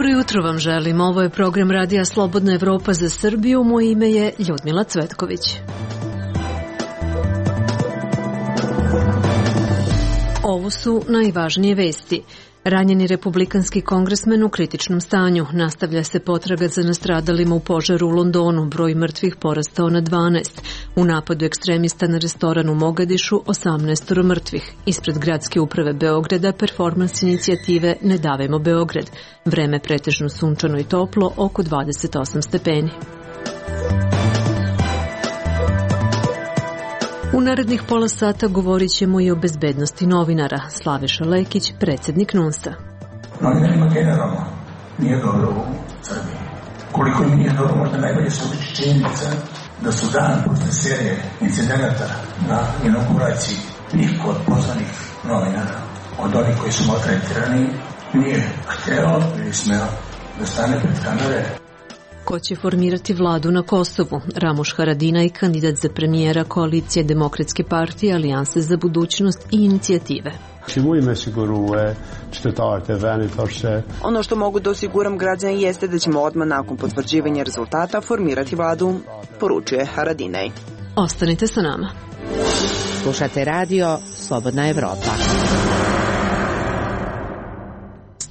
Dobro jutro vam želim. Ovo je program Radija Slobodna Evropa za Srbiju. Moje ime je Ljudmila Cvetković. Ovo su najvažnije vesti. Ranjeni republikanski kongresmen u kritičnom stanju. Nastavlja se potraga za nastradalima u požaru u Londonu. Broj mrtvih porastao na 12. U napadu ekstremista na restoran u Mogadišu 18 mrtvih. Ispred gradske uprave Beograda performans inicijative Ne davimo Beograd. Vreme pretežno sunčano i toplo, oko 28 stepeni. U narednih pola sata govorit ćemo i o bezbednosti novinara. Slaviša Lekić, predsjednik NUNS-a. Novinarima generalno nije dobro u Srbiji. Koliko im nije dobro, možda najbolje se uči činjenica da su dan posle serije incidenata na inauguraciji niko od pozvanih novinara, od onih koji su maltretirani, nije hteo ili smeo da stane pred kamere. Ko će formirati vladu na Kosovu? Ramuš Haradinaj, kandidat za premijera koalicije Demokratske partije, Alijanse za budućnost i inicijative. Ono što mogu da osiguram građani jeste da ćemo odmah nakon potvrđivanja rezultata formirati vladu, poručuje Haradinaj. Ostanite sa nama. Slušate radio Slobodna Evropa.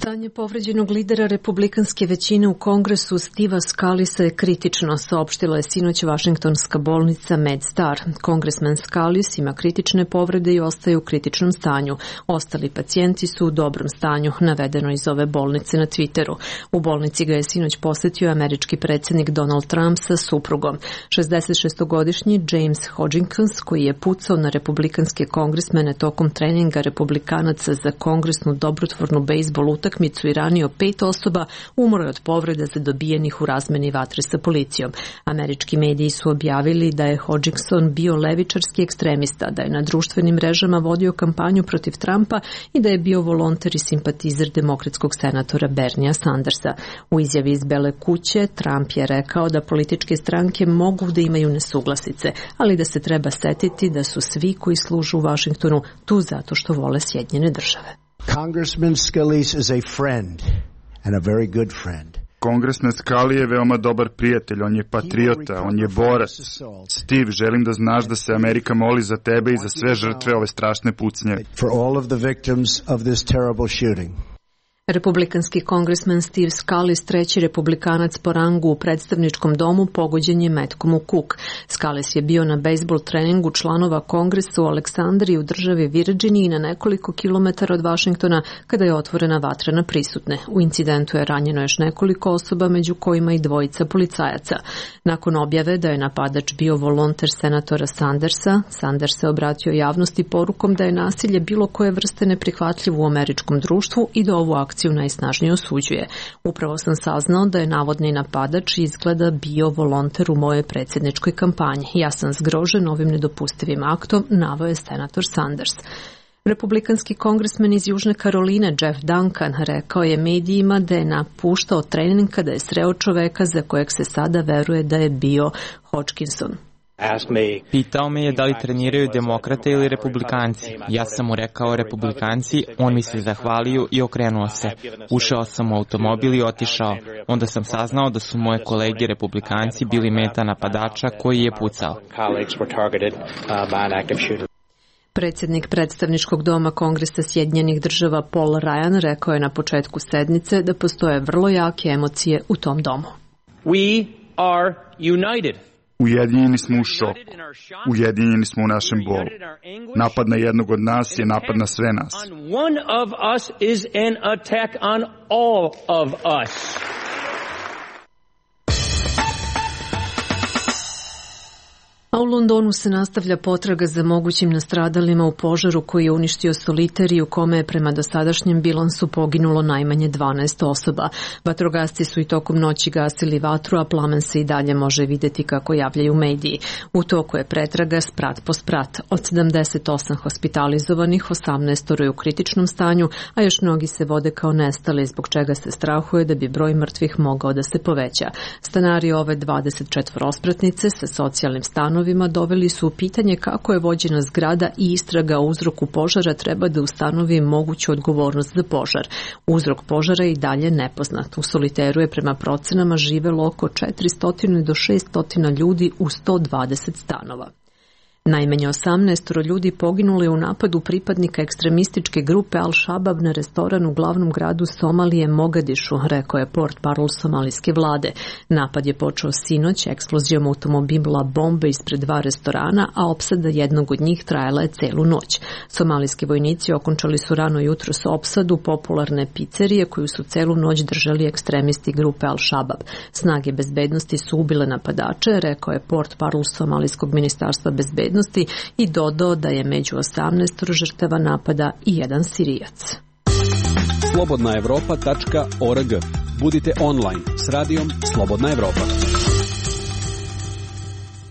Stanje povređenog lidera republikanske većine u Kongresu Steva Scalisa je kritično, saopštila je sinoć Vašingtonska bolnica MedStar. Kongresmen Scalis ima kritične povrede i ostaje u kritičnom stanju. Ostali pacijenti su u dobrom stanju, navedeno iz ove bolnice na Twitteru. U bolnici ga je sinoć posetio američki predsjednik Donald Trump sa suprugom. 66-godišnji James Hodgkins, koji je pucao na republikanske kongresmene tokom treninga republikanaca za kongresnu dobrotvornu bejsbol utakmicu i ranio 5 osoba, umro je od povreda zadobijenih u razmeni vatre sa policijom. Američki mediji su objavili da je Hodgkinson bio levičarski ekstremista, da je na društvenim mrežama vodio kampanju protiv Trumpa i da je bio volonter i simpatizer demokratskog senatora Bernija Sandersa. U izjavi iz Bele kuće Trump je rekao da političke stranke mogu da imaju nesuglasice, ali da se treba setiti da su svi koji služu u Vašingtonu tu zato što vole Sjedinjene države. Congressman Scalise is a friend and a very good friend. Kongresmen Scali je veoma dobar prijatelj, on je patriota, on je borac. Steve, želim da znaš da se Amerika moli za tebe i za sve žrtve ove strašne pucnjeve. For all of the victims of this terrible shooting. Republikanski kongresmen Steve Scalise, treći republikanac po rangu u predstavničkom domu, pogođen je metkom u kuk. Scalise je bio na bejsbol treningu članova kongresa u Aleksandriji u državi Virginiji na nekoliko kilometara od Vašingtona kada je otvorena vatra na prisutne. U incidentu je ranjeno još nekoliko osoba, među kojima i 2 policajaca. Nakon objave da je napadač bio volonter senatora Sandersa, Sanders se obratio javnosti porukom da je nasilje bilo koje vrste neprihvatljivo u američkom društvu i da ovu akciju najsnažnije osuđuje. Upravo sam saznao da je navodni napadač izgleda bio volonter u mojoj predsjedničkoj kampanji. Ja sam zgrožen ovim nedopustivim aktom, naveo je senator Sanders. Republikanski kongresmen iz Južne Karoline Jeff Duncan rekao je medijima da je napuštao trening kada je sreo čoveka za kojeg se sada veruje da je bio Hodgkinson. Pitao me je da li treniraju demokrate ili republikanci. Ja sam mu rekao republikanci, on mi se zahvalio i okrenuo se. Ušao sam u automobil i otišao. Onda sam saznao da su moje kolege republikanci bili meta napadača koji je pucao. Predsjednik predstavničkog doma Kongresa Sjedinjenih država Paul Ryan rekao je na početku sednice da postoje vrlo jake emocije u tom domu. We are united. Ujedinjeni smo u šoku. Ujedinjeni smo u našem bolu. Napad na jednog od nas je napad na sve nas. One of us is an attack on all of us. A u Londonu se nastavlja potraga za mogućim nastradalima u požaru koji je uništio Soliteri, u kome je prema dosadašnjem bilansu poginulo najmanje 12 osoba. Vatrogasci su i tokom noći gasili vatru, a plamen se i dalje može vidjeti kako javljaju mediji. U toku je pretraga sprat po sprat. Od 78 hospitalizovanih, 18 je u kritičnom stanju, a još mnogi se vode kao nestali, zbog čega se strahuje da bi broj mrtvih mogao da se poveća. Stanari ove 24 ospratnice sa socijalnim stanovima stanovima doveli su u pitanje kako je vođena zgrada i istraga o uzroku požara treba da ustanovi moguću odgovornost za požar. Uzrok požara je i dalje nepoznat. U Soliteru je prema procenama živelo oko 400 do 600 ljudi u 120 stanova. Najmanje 18 ljudi poginulo je u napadu pripadnika ekstremističke grupe Al-Shabab na restoran u glavnom gradu Somalije Mogadišu, rekao je portparol somalijske vlade. Napad je počeo sinoć eksplozijom automobila bombe ispred 2 restorana, a opsada jednog od njih trajala je celu noć. Somalijski vojnici okončali su rano jutros opsadu popularne pizzerije koju su celu noć držali ekstremisti grupe Al-Shabab. Snage bezbednosti su ubile napadače, rekao je portparol somalijskog ministarstva bezbednosti i dodao da je među 18 žrtava napada i jedan Sirijac. slobodnaevropa.org. Budite online s radijom Slobodna Evropa.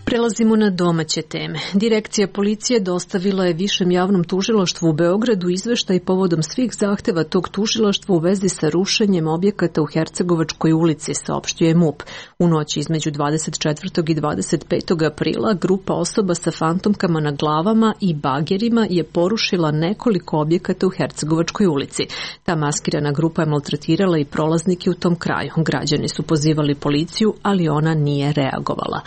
Prelazimo na domaće teme. Direkcija policije dostavila je Višem javnom tužilaštvu u Beogradu izveštaj povodom svih zahteva tog tužilaštva u vezi sa rušenjem objekata u Hercegovačkoj ulici, saopštio je MUP. U noći između 24. i 25. aprila grupa osoba sa fantomkama na glavama i bagerima je porušila nekoliko objekata u Hercegovačkoj ulici. Ta maskirana grupa je maltretirala i prolaznike u tom kraju. Građani su pozivali policiju, ali ona nije reagovala.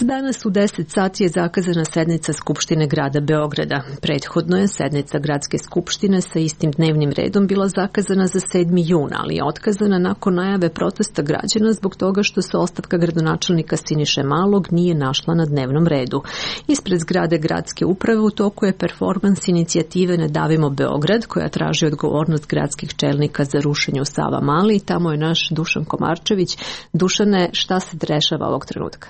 Danas u 10 sati je zakazana sednica Skupštine grada Beograda. Prethodno je sednica gradske skupštine sa istim dnevnim redom bila zakazana za 7. jun, ali je otkazana nakon najave protesta građana zbog toga što se ostavka gradonačelnika Siniše Malog nije našla na dnevnom redu. Ispred zgrade gradske uprave u toku je performans inicijative Ne davimo Beograd, koja traži odgovornost gradskih čelnika za rušenje u Savamali. Tamo je naš Dušan Komarčević. Dušane, šta se dešava ovog trenutka?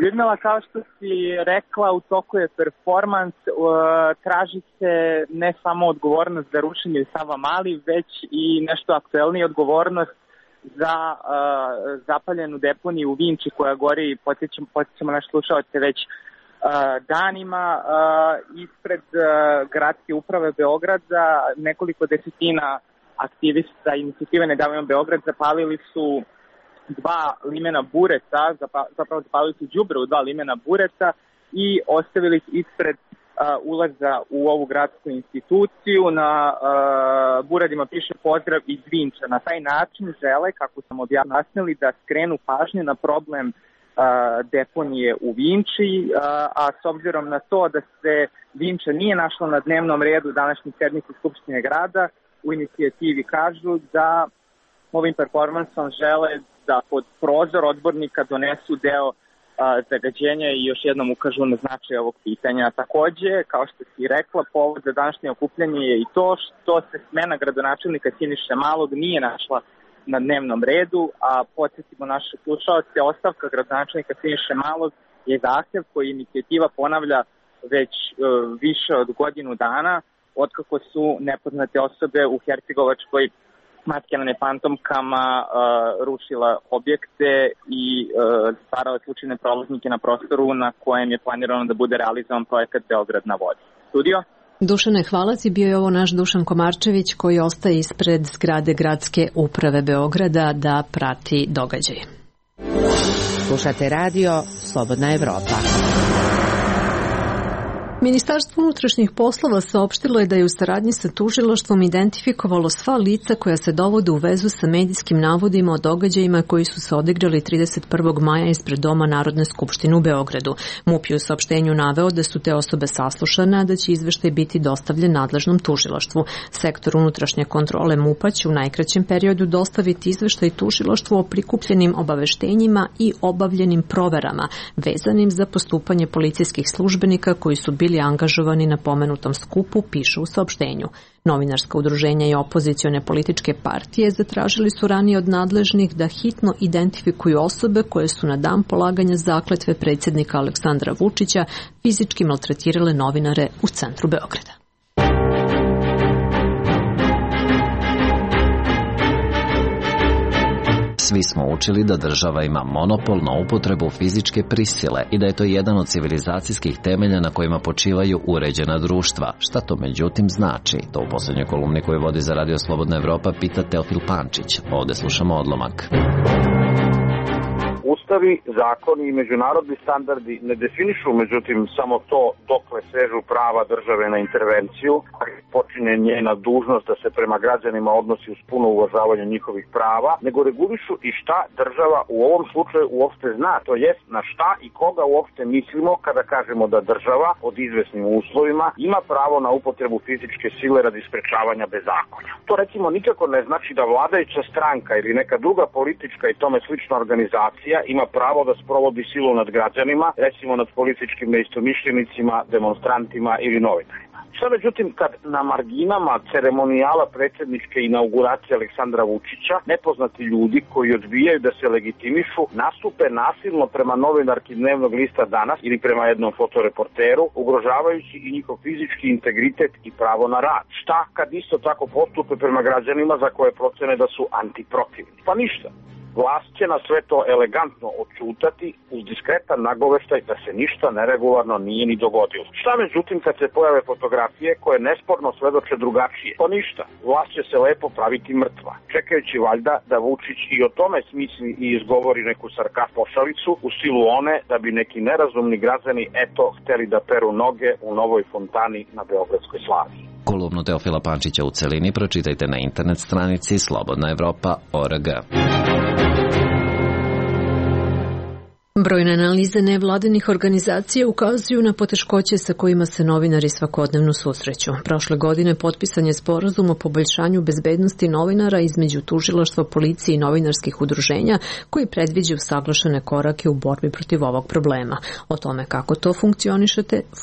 Ljudmila, kao što si rekla, u toku je performans, traži se ne samo odgovornost za rušenje u Savamali, već i nešto aktuelnije odgovornost za zapaljenu deponiju u Vinči koja gori, podsjećamo naše slušalce već danima. Ispred gradske uprave Beograda nekoliko desetina aktivista inicijative Ne davimo Beograd zapalili su 2 limena bureta, zapravo zapalili su đubre u 2 limena bureta i ostavili ispred ulaza u ovu gradsku instituciju. Na buradima piše pozdrav iz Vinča. Na taj način žele, kako sam objasnili, da skrenu pažnju na problem deponije u Vinči, a s obzirom na to da se Vinča nije našla na dnevnom redu današnje sednice Skupštine grada, u inicijativi kažu da ovim performansom žele da pod prozor odbornika donesu deo zagađenja i još jednom ukažu na značaj ovog pitanja. Takođe, kao što si rekla, povod za današnje okupljanje je i to što se smena gradonačelnika Siniše Malog nije našla na dnevnom redu, a podsjetimo naše slušalce, ostavka gradonačelnika Siniše Malog je zahtev koji inicijativa ponavlja već više od godinu dana, otkako su nepoznate osobe u Hercegovačkoj maskirane fantomkama rušila objekte i stvarala slučajne prolaznike na prostoru na kojem je planirano da bude realizovan projekat Beograd na vodi. Studio? Dušane, hvala ti. Bio je ovo naš Dušan Komarčević koji ostaje ispred zgrade gradske uprave Beograda da prati događaj. Slušate radio Slobodna Evropa. Ministarstvo unutrašnjih poslova saopštilo je da je u saradnji sa tužilaštvom identifikovalo sva lica koja se dovode u vezu sa medijskim navodima o događajima koji su se odigrali 31. maja ispred Doma Narodne skupštine u Beogradu. MUP je u saopštenju naveo da su te osobe saslušane, a da će izveštaj biti dostavljen nadležnom tužilaštvu. Sektor unutrašnje kontrole MUP-a će u najkraćem periodu dostaviti izveštaj tužilaštvu o prikupljenim obaveštenjima i obavljenim proverama vezanim za postupanje policijskih službenika koji su bili angažovani na pomenutom skupu, piše u saopštenju. Novinarska udruženja i opozicione političke partije zatražili su ranije od nadležnih da hitno identifikuju osobe koje su na dan polaganja zakletve predsjednika Aleksandra Vučića fizički maltretirale novinare u centru Beograda. Svi smo učili da država ima monopol na upotrebu fizičke prisile i da je to jedan od civilizacijskih temelja na kojima počivaju uređena društva. Šta to međutim znači? To u poslednjoj kolumni koju vodi za Radio Slobodna Evropa pita Teofil Pančić. Ovde slušamo odlomak. U Ustavi, zakoni i međunarodni standardi ne definišu, međutim, samo to dokle sežu prava države na intervenciju, a počinje njena dužnost da se prema građanima odnosi uz puno uvažavanje njihovih prava, nego regulišu i šta država u ovom slučaju uopšte zna, to jest na šta i koga uopšte mislimo kada kažemo da država pod izvesnim uslovima ima pravo na upotrebu fizičke sile radi sprečavanja bezakonja. To recimo nikako ne znači da vladajuća stranka ili neka druga politička i tome slična organizacija ima pravo da sprovodi silu nad građanima, recimo nad političkim neistomišljenicima, demonstrantima ili novinarima. Šta međutim kad na marginama ceremonijala predsjedničke inauguracije Aleksandra Vučića nepoznati ljudi koji odbijaju da se legitimišu nastupe nasilno prema novinarki dnevnog lista Danas ili prema jednom fotoreporteru, ugrožavajući i njihov fizički integritet i pravo na rad? Šta kad isto tako postupe prema građanima za koje procene da su antiprotivni? Pa ništa. Vlast će na sve to elegantno odćutati uz diskretan nagoveštaj da se ništa neregularno nije ni dogodilo. Šta međutim kad se pojave fotografije koje nesporno svedoče drugačije? Pa ništa. Vlast će se lepo praviti mrtva, čekajući valjda da Vučić i o tome smisli i izgovori neku sarkast pošalicu u stilu one da bi neki nerazumni građani hteli da peru noge u novoj fontani na Beogradskoj Slavi. Kolumnu Teofila Pančića u celini pročitajte na internet stranici slobodnaevropa.org. Brojne analize nevladinih organizacija ukazuju na poteškoće sa kojima se novinari svakodnevno susreću. Prošle godine potpisan je sporazum o poboljšanju bezbednosti novinara između tužilaštva, policije i novinarskih udruženja koji predviđa usaglašene korake u borbi protiv ovog problema. O tome kako to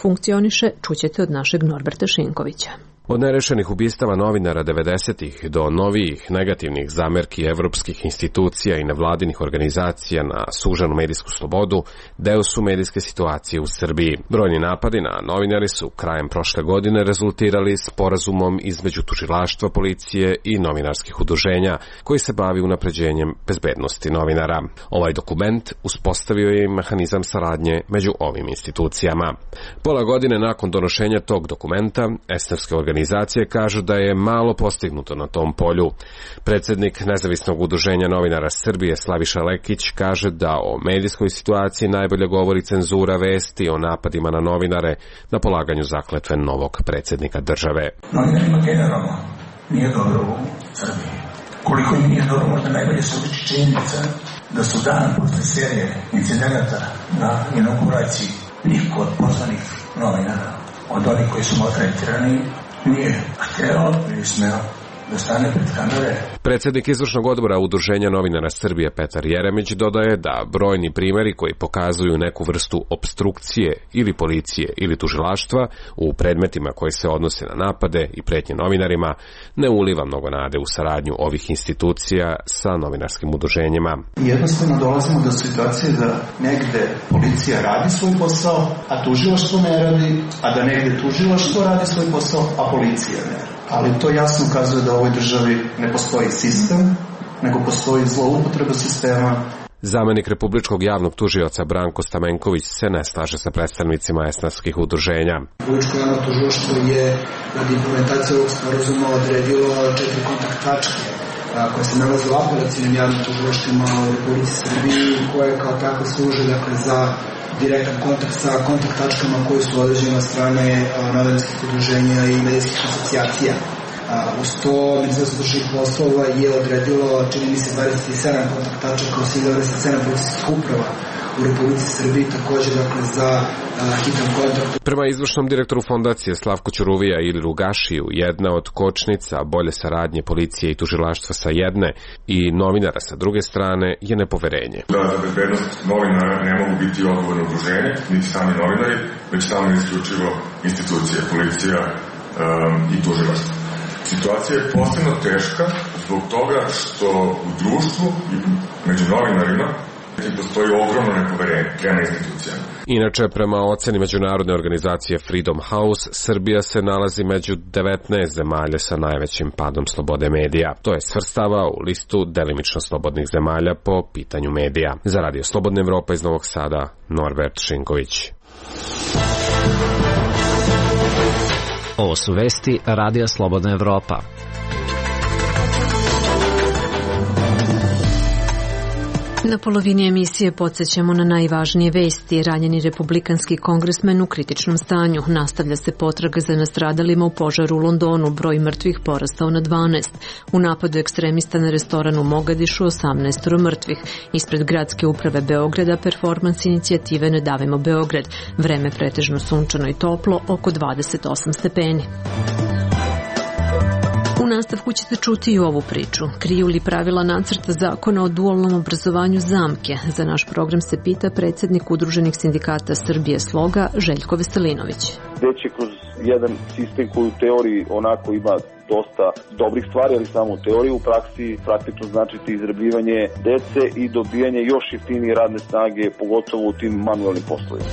funkcioniše čućete od našeg Norberta Šinkovića. Od nerešenih ubistava novinara 90-ih do novijih negativnih zamerki evropskih institucija i nevladinih organizacija na sužanu medijsku slobodu, deo su medijske situacije u Srbiji. Brojni napadi na novinari su krajem prošle godine rezultirali sporazumom između tužilaštva, policije i novinarskih udruženja koji se bavi unapređenjem bezbednosti novinara. Ovaj dokument uspostavio je mehanizam saradnje među ovim institucijama. Pola godine nakon donošenja tog dokumenta, esnafske organizacije kažu da je malo postignuto na tom polju. Predsjednik Nezavisnog udruženja novinara Srbije Slaviša Lekić kaže da o medijskoj situaciji najbolje govori cenzura vesti o napadima na novinare na polaganju zakletve novog predsjednika države. Novinarima generalno nije dobro u Srbiji. Koliko im nije dobro, možda najbolje se uliči činjenica da su dan posle serije incidenata na inauguraciji niko od pozvanih novinara, od onih koji su maltretirani, nije hteo ili smeo da stane pred kamere. Predsjednik izvršnog odbora Udruženja novinara Srbije Petar Jeremić dodaje da brojni primjeri koji pokazuju neku vrstu opstrukcije ili policije ili tužilaštva u predmetima koji se odnose na napade i pretnje novinarima ne uliva mnogo nade u saradnju ovih institucija sa novinarskim udruženjima. Jednostavno dolazimo do situacije da negde policija radi svoj posao, a tužilaštvo ne radi, a da negde tužilaštvo radi svoj posao, a policija ne radi. Ali to jasno ukazuje da u ovoj državi ne postoji sistem, nego postoji zloupotreba sistema. Zamenik republičkog javnog tužioca Branko Stamenković se ne slaže sa predstavnicima esnafskih udruženja. Republičko javno tužilaštvo je radi implementacije ovog sporazuma odredilo 4 kontakt tačke koje se nalaze u apelacijnim javnim tužilaštvima u Republici Srbiji, koje kao tako služe za direktan kontakt sa kontakt tačkama koje su određene od strane novinarskih udruženja i medijskih asocijacija. Uz to Ministarstvo unutrašnjih poslova je odredilo, čini mi se, 27 kontakt tačaka u svih 27 policijskih uprava u Republici Srbiji, također za hitan kontakt. Prema izvršnom direktoru fondacije Slavku Ćuruvija ili Rugašiju, jedna od kočnica bolje saradnje policije i tužilaštva sa jedne i novinara sa druge strane je nepoverenje. Da za bezbednost novinara ne mogu biti odgovorno udruženje, niti sami novinari, već samo isključivo institucije, policija i tužilaštvo. Situacija je posebno teška zbog toga što u društvu i među novinarima postoji ogromno nepoverenje prema institucijama. Inače, prema oceni međunarodne organizacije Freedom House, Srbija se nalazi među 19 zemalja sa najvećim padom slobode medija. To je svrstava u listu delimično slobodnih zemalja po pitanju medija. Za Radio Slobodna Evropa iz Novog Sada, Norbert Šinković. Ovo su vesti Radija Slobodna Evropa. Na polovini emisije podsjećamo na najvažnije vesti. Ranjeni republikanski kongresmen u kritičnom stanju. Nastavlja se potraga za nastradalima u požaru u Londonu. Broj mrtvih porastao na 12. U napadu ekstremista na restoran u Mogadišu 18 mrtvih. Ispred gradske uprave Beograda performans inicijative Ne davimo Beograd. Vreme pretežno sunčano i toplo, oko 28 stepeni. U nastavku ćete čuti i ovu priču. Kriju li pravila nacrta zakona o dualnom obrazovanju zamke? Za naš program se pita predsjednik Udruženih sindikata Srbije Sloga, Željko Veselinović. Gde će kroz jedan sistem koji u teoriji onako ima dosta dobrih stvari, ali samo u teoriji, u praksi praktično značiti izrabljivanje dece i dobijanje još jeftinije radne snage, pogotovo u tim manualnim poslovima.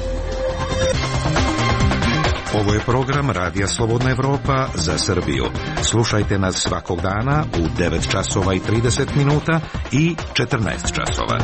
Ovo je program Radija Slobodna Evropa za Srbiju. Slušajte nas svakog dana u 9 časova i 30 minuta i 14 časova.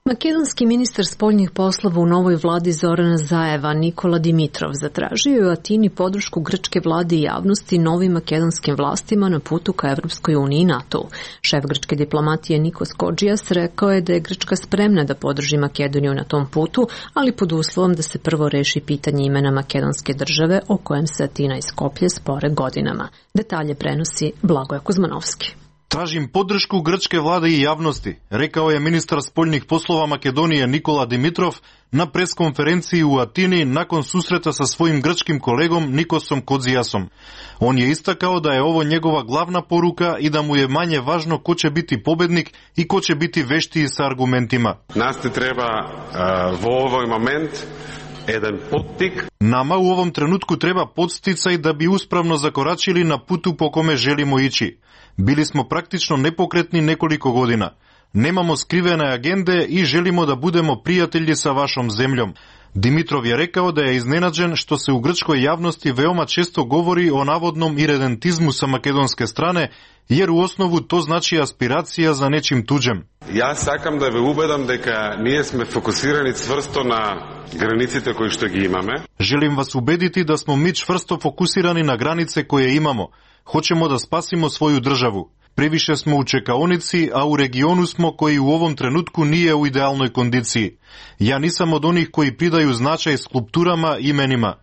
Makedonski ministar spoljnih poslova u novoj vladi Zorana Zajeva, Nikola Dimitrov, zatražio je u Atini podršku grčke vlade i javnosti novim makedonskim vlastima na putu ka Evropskoj uniji i NATO. Šef grčke diplomatije Nikos Kodžijas rekao je da je Grčka spremna da podrži Makedoniju na tom putu, ali pod uslovom da se prvo reši pitanje imena makedonske države o kojem se Atina i Skoplje spore godinama. Detalje prenosi Blagoje Kuzmanovski. Tražim podršku grčke vlade i javnosti, rekao je ministar spoljnih poslova Makedonije Nikola Dimitrov na preskonferenciji u Atini nakon susreta sa svojim grčkim kolegom Nikosom Kodzijasom. On je istakao da je ovo njegova glavna poruka i da mu je manje važno ko će biti pobednik i ko će biti veštiji sa argumentima. Nas ti treba u ovoj moment jedan podstik. Nama u ovom trenutku treba podsticaj da bi uspravno zakoračili na putu po kome želimo ići. Bili smo praktično nepokretni nekoliko godina. Nemamo skrivene agende i želimo da budemo prijatelji sa vašom zemljom. Dimitrov je rekao da je iznenađen što se u grčkoj javnosti veoma često govori o navodnom iredentizmu sa makedonske strane, jer u osnovu to znači aspiracija za nečim tuđem. Ja sakam da ve ubedam дека ние сме фокусирани цврсто на границите кои што ги имаме. Želim vas ubediti da smo mi čvrsto fokusirani na granice koje imamo. Hoćemo da spasimo svoju državu. Previše smo u čekaonici, a u regionu smo koji u ovom trenutku nije u idealnoj kondiciji. Ja nisam od onih koji pridaju značaj skulpturama i imenima.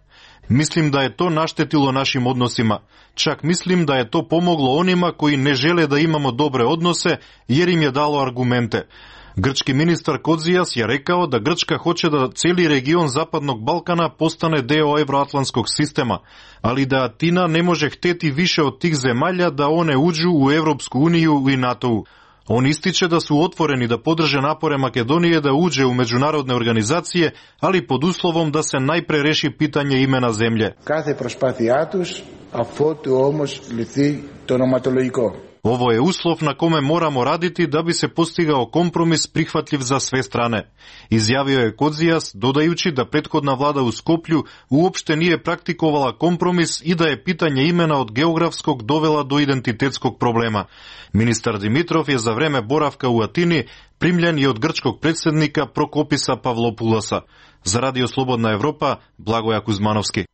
Mislim da je to naštetilo našim odnosima. Čak mislim da je to pomoglo onima koji ne žele da imamo dobre odnose, jer im je dalo argumente. Grčki ministar Kodzijas je rekao da Grčka hoće da cijeli region Zapadnog Balkana postane deo evroatlantskog sistema, ali da Atina ne može hteti više od tih zemalja da one uđu u Evropsku uniju i NATO-u. On ističe da su otvoreni da podrže napore Makedonije da uđe u međunarodne organizacije, ali pod uslovom da se najpre reši pitanje imena zemlje. Κάθε προσπάθειά τους αφότου όμως λυθεί το ονοματολογικό. Ovo je uslov na kome moramo raditi da bi se postigao kompromis prihvatljiv za sve strane. Izjavio je Kodzijas, dodajući da prethodna vlada u Skoplju uopšte nije praktikovala kompromis i da je pitanje imena od geografskog dovela do identitetskog problema. Ministar Dimitrov je za vreme boravka u Atini primljen i od grčkog predsjednika Prokopisa Pavlopulosa. Za Radio Slobodna Evropa, Blagoje Kuzmanovski.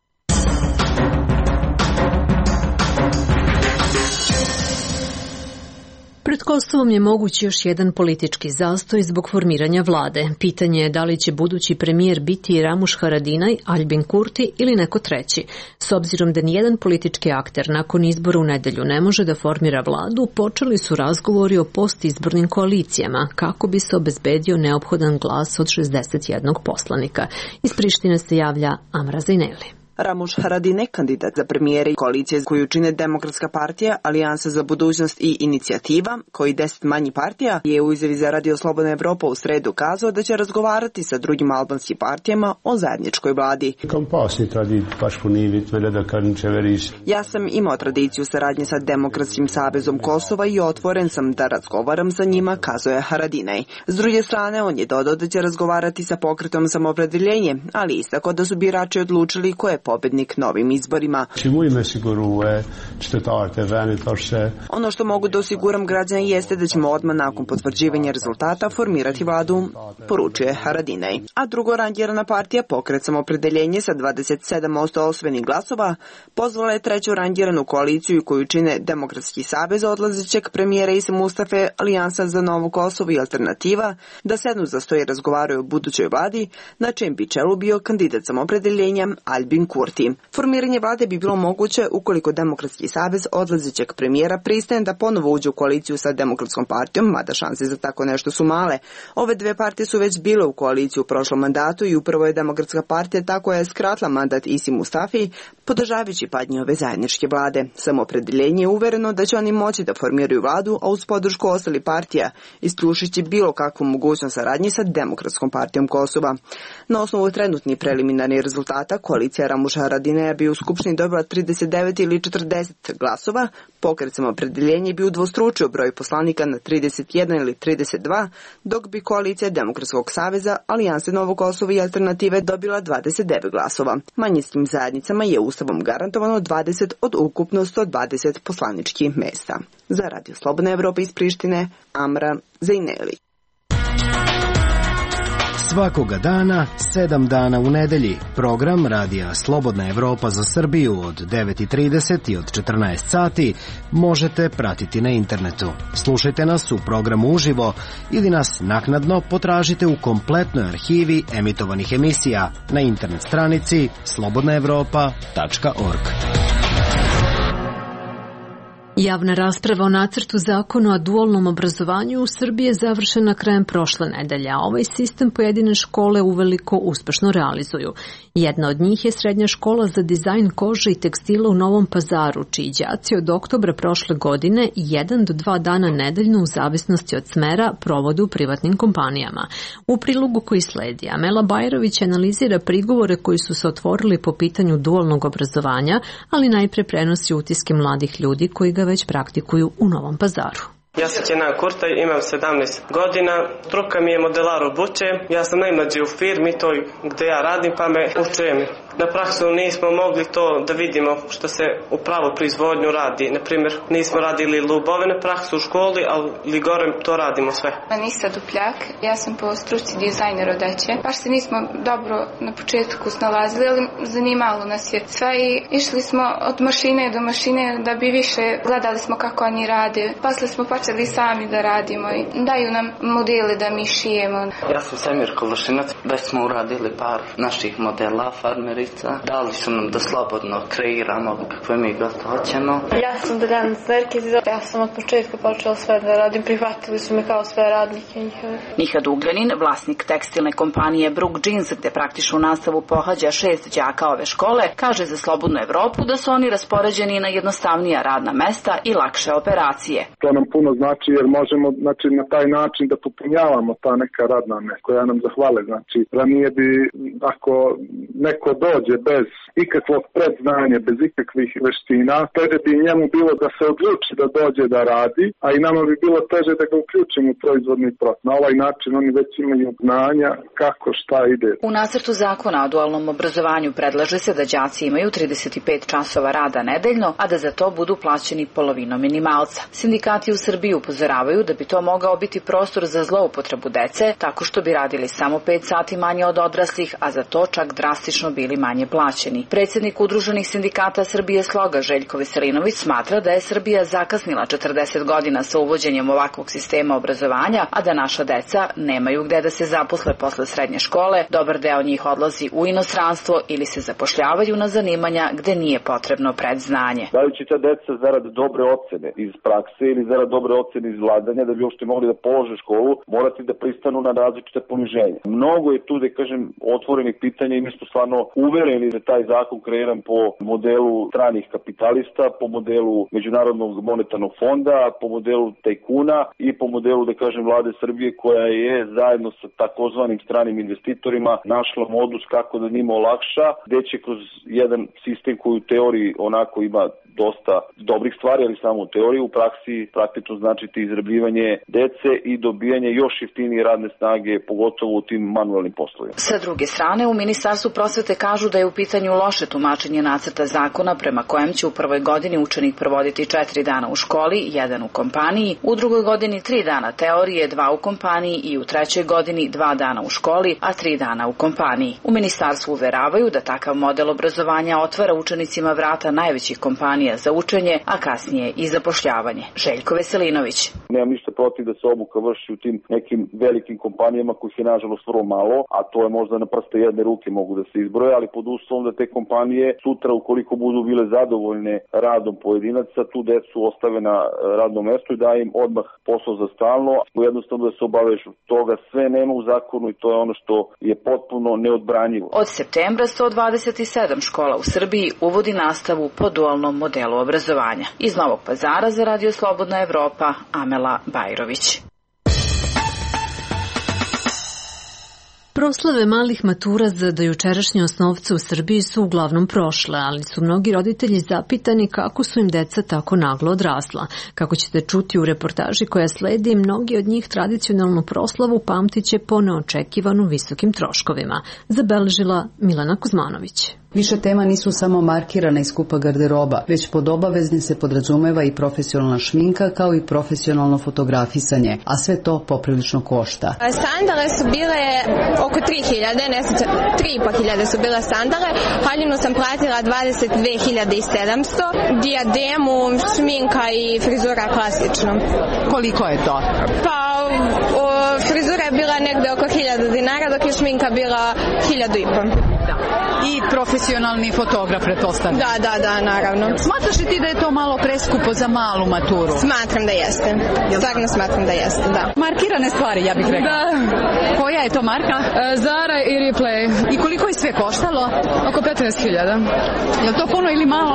Pred Kosovom je moguć još jedan politički zastoj zbog formiranja vlade. Pitanje je da li će budući premijer biti Ramuš Haradinaj, Aljbin Kurti ili neko treći. S obzirom da nijedan politički akter nakon izbora u nedelju ne može da formira vladu, počeli su razgovori o postizbornim koalicijama kako bi se obezbedio neophodan glas od 61 poslanika. Iz Prištine se javlja Amra Zajneli. Ramuš Haradinaj, kandidat za premijera i koalicije koju čine Demokratska partija, Alijansa za budućnost i Inicijativa, koji 10 manji partija, je u izjavi za Radio Slobodna Evropa u sredu kazao da će razgovarati sa drugim albanskim partijama o zajedničkoj vladi. Ja sam imao tradiciju saradnje sa Demokratskim savezom Kosova i otvoren sam da razgovaram sa njima, kazao je Haradinaj. S druge strane, on je dodao da će razgovarati sa pokretom Samoopredeljenje, ali istakao da su birači odlučili koje pobednik na ovim izborima. Ono što mogu da osiguram građana jeste da ćemo odmah nakon potvrđivanja rezultata formirati vladu, poručuje Haradinaj. A drugo rangirana partija Pokret Samoopredeljenje sa 27% osvojenih glasova pozvala je treću rangiranu koaliciju koju čine Demokratski savez odlazećeg premijera Isa Mustafe, Alijansa za Novo Kosovo i Alternativa da sednu za sto i razgovaraju o budućoj vladi, na čijem bi čelu bio kandidat Samoopredeljenja Albin Kurti. Formiranje vlade bi bilo moguće ukoliko Demokratski savez odlazećeg premijera pristane da ponovo uđe u koaliciju sa Demokratskom partijom, mada šanse za tako nešto su male. Ove dve partije su već bile u koaliciji u prošlom mandatu i upravo je Demokratska partija tako je skratila mandat Isi Mustafi, podržavajući padnje ove zajedničke vlade. Samoopredeljenje je uvereno da će oni moći da formiraju vladu, a uz podršku ostalih partija, isključujući bilo kakvu mogućnost saradnje sa Demokratskom partijom Kosova. Na osnovu trenutnih preliminarnih rezultata, koalicija Ramuša Haradineja bi u Skupštini dobila 39 ili 40 glasova, Pokret Samoopredeljenje bi udvostručio broj poslanika na 31 ili 32, dok bi koalicija Demokratskog saveza, Alijanse Novo Kosovo i Alternative dobila 29 glasova. Manjinskim zajednicama je Ustavom garantovano 20 od ukupno 120 poslaničkih mesta. Za Radio Slobodna Evropa iz Prištine, Amra Zejneli. Svakoga dana, 7 dana u nedelji, program Radija Slobodna Evropa za Srbiju od 9:30 i od 14 sati možete pratiti na internetu. Slušajte nas u programu uživo ili nas naknadno potražite u kompletnoj arhivi emitovanih emisija na internet stranici slobodnaevropa.org. Javna rasprava o nacrtu zakona o dualnom obrazovanju u Srbiji je završena krajem prošle nedelje, a ovaj sistem pojedine škole uveliko uspešno realizuju. Jedna od njih je Srednja škola za dizajn kože i tekstila u Novom Pazaru, čiji đaci od oktobra prošle godine 1 do 2 dana nedeljno u zavisnosti od smera provode u privatnim kompanijama. U prilogu koji sledi, Amela Bajrović analizira prigovore koji su se otvorili po pitanju dualnog obrazovanja, ali najpre prenosi utiske mladih ljudi koji ga već praktikuju u Novom Pazaru. Ja sam Kenan Kurtaj, imam 17 godina, struka mi je modelar obuće, ja sam najmlađi u firmi toj gde ja radim pa me uče. Na praksu nismo mogli to da vidimo što se u pravu proizvodnju radi. Naprimjer, nismo radili lubove na praksu u školi, ali gore to radimo sve. Anisa Dupljak, ja sam po struci dizajner odeće. Baš se nismo dobro na početku snalazili, ali zanimalo nas je sve i išli smo od mašine do mašine da bi više gledali smo kako oni rade. Posle smo počeli sami da radimo i daju nam modele da mi šijemo. Ja sam Semir Kološinac, već smo uradili par naših modela, farmeri. Dali su nam da slobodno kreiramo kakve mi god hoćemo. Ja sam Deljana Zverkiz, ja sam od početka počela sve da radim, prihvatili su me kao sve radnike njihove. Mihad Ugljanin, vlasnik tekstilne kompanije Brook Jeans, gde praktičnu nastavu pohađa 6 đaka ove škole, kaže za Slobodnu Evropu da su oni raspoređeni na jednostavnija radna mesta i lakše operacije. To nam puno znači jer možemo na taj način da popunjavamo ta neka radna mesta koja nam zahvale. Znači, ranije bi ako neko dođe bez ikakvog predznanja, bez ikakvih veština, teže bi njemu bilo da se odluči da dođe da radi, a i nama bi bilo teže da ga uključimo u proizvodni proces. Na ovaj način oni već imaju znanja kako šta ide. U nacrtu zakona o dualnom obrazovanju predlaže se da đaci imaju 35 časova rada nedeljno, a da za to budu plaćeni polovinom minimalca. Sindikati u Srbiji upozoravaju da bi to mogao biti prostor za zloupotrebu dece, tako što bi radili samo 5 sati manje od odraslih, a za to čak drastično bili manje plaćeni. Predsjednik Udruženih sindikata Srbije Sloga Željko Veselinović smatra da je Srbija zakasnila 40 godina sa uvođenjem ovakvog sistema obrazovanja, a da naša deca nemaju gde da se zaposle posle srednje škole, dobar deo njih odlazi u inostranstvo ili se zapošljavaju na zanimanja gde nije potrebno predznanje. Dajući ta deca zarad dobre ocene iz prakse ili zarad dobre ocene iz vladanja, da bi uopšte mogli da polože školu, morati da pristanu na različite poniženja. Mnogo je tu, da kažem, otvorenih pitanja i mi smo stvarno uvereni da taj zakon kreiran po modelu stranih kapitalista, po modelu Međunarodnog monetarnog fonda, po modelu tajkuna i po modelu, da kažem, vlade Srbije koja je zajedno sa takozvanim stranim investitorima našla modus kako da njima olakša, gde će kroz jedan sistem koji u teoriji onako ima dosta dobrih stvari, ali samo u teoriji, u praksi praktično značiti izrabljivanje dece i dobijanje još jeftinije radne snage, pogotovo u tim manuelnim poslovima. Sa druge strane, u Ministarstvu prosvete kažu kažu da je u pitanju loše tumačenje nacrta zakona prema kojem će u prvoj godini učenik provoditi 4 dana u školi, 1 u kompaniji, u drugoj godini 3 dana teorije, 2 u kompaniji i u trećoj godini 2 dana u školi, a 3 dana u kompaniji. U ministarstvu uveravaju da takav model obrazovanja otvara učenicima vrata najvećih kompanija za učenje, a kasnije i zapošljavanje. Željko Veselinović. Nemam ništa protiv da se obuka vrši u tim nekim velikim kompanijama kojih je nažalost vrlo malo, a to je možda na prste jedne ruke mogu da se izbroje, ali pod uslovom da te kompanije sutra ukoliko budu bile zadovoljne radom pojedinaca, tu decu ostave na radnom mestu i daje im odmah posao za stalno, jednostavno da se obavežu. Toga sve nema u zakonu i to je ono što je potpuno neodbranjivo. Od septembra 127 škola u Srbiji uvodi nastavu po dualnom modelu obrazovanja. Iz Novog Pazara za Radio Slobodna Evropa, Amela Bajrović. Proslave malih matura za dojučerašnje osnovce u Srbiji su uglavnom prošle, ali su mnogi roditelji zapitani kako su im deca tako naglo odrasla. Kako ćete čuti u reportaži koja sledi, mnogi od njih tradicionalnu proslavu pamtiće po neočekivano visokim troškovima, zabeležila Milena Kuzmanović. Više tema nisu samo markirana i skupa garderoba, već pod obavezni se podrazumeva i profesionalna šminka kao i profesionalno fotografisanje, a sve to poprilično košta. Sandale su bile oko 3.000, ne znam, 3.500 su bile sandale, haljinu sam platila 22.700, dijademu, šminka i frizura klasično. Koliko je to? Pa frizura je bila negde oko 1.000 dinara, dok je šminka bila 1.500. I profesionalni fotograf, pretpostavljam. Da, naravno. Smatraš li ti da je to malo preskupo za malu maturu? Smatram da jeste. Stvarno smatram da jeste, da. Markirane stvari, ja bih rekla. Da. Koja je to marka? Zara i Ripley. I koliko je sve koštalo? Oko 15.000. Je li to puno ili malo?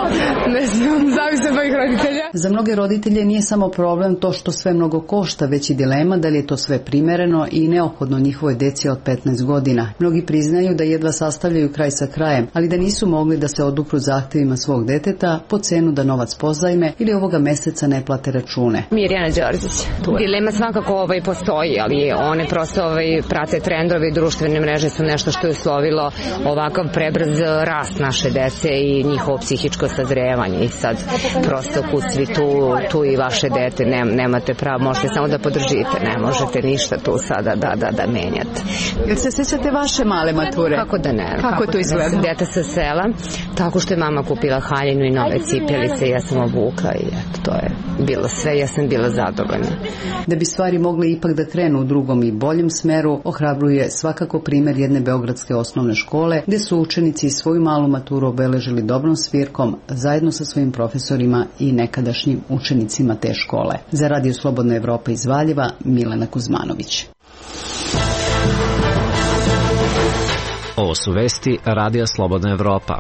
Ne znam, zavisi od mojih roditelja. Za mnoge roditelje nije samo problem to što sve mnogo košta, već i dilema da li je to sve primereno i neophodno njihovoj deci od 15 godina. Mnogi priznaju da jedva sastavljaju kraj sa krajem, ali da nisu mogli da se odupru zahtevima svog deteta po cenu da novac pozajme ili ovoga meseca ne plate račune. Mirjana Đorđić. Dilema svakako postoji, ali one prosto prate trendovi, društvene mreže su nešto što je uslovilo ovakav prebrz rast naše dece i njihovo psihičko sazrevanje. I sad prosto kud svi tu i vaše dete nemate pravo, možete samo da podržite, ne možete ništa tu sada da menjate. Jel se sjećate vaše male mature? Kako da ne? Kako to izgleda? Dete sa sela, tako što je mama kupila haljinu i nove cipelice i ja sam obukla i eto, to je bilo sve, ja sam bila zadovoljna. Da bi stvari mogle ipak da krenu u drugom i boljem smeru, ohrabruje svakako primer jedne beogradske osnovne škole, gde su učenici svoju malu maturu obeležili dobrom svirkom zajedno sa svojim profesorima i nekadašnjim učenicima te škole. Za Radio Slobodna Evropa iz Valjeva, Milena Kuzmanović. Ovo su vesti Radija Slobodna Evropa.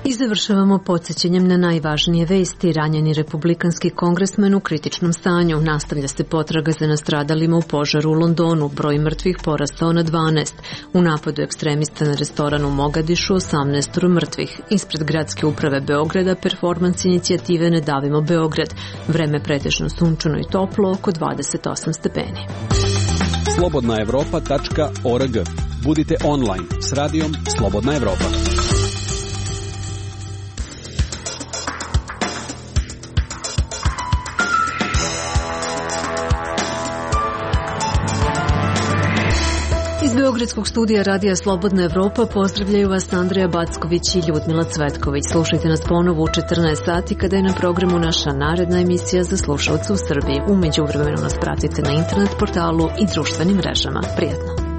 I završavamo podsjećanjem na najvažnije vesti. Ranjeni republikanski kongresmen u kritičnom stanju. Nastavlja se potraga za nastradalima u požaru u Londonu. Broj mrtvih porastao na 12. U napadu ekstremista na restoran u Mogadišu 18 mrtvih. Ispred gradske uprave Beograda performans inicijative Ne davimo Beograd. Vreme pretežno sunčano i toplo, oko 28 stepeni. slobodnaevropa.org. Budite online s radijom Slobodna Evropa. Iz Beogradskog studija Radija Slobodna Evropa pozdravljaju vas Andreja Backović i Ljudmila Cvetković. Slušajte nas ponovo u 14 sati kada je na programu naša naredna emisija za slušalce u Srbiji. U međuvremenu nas pratite na internet portalu i društvenim mrežama. Prijatno!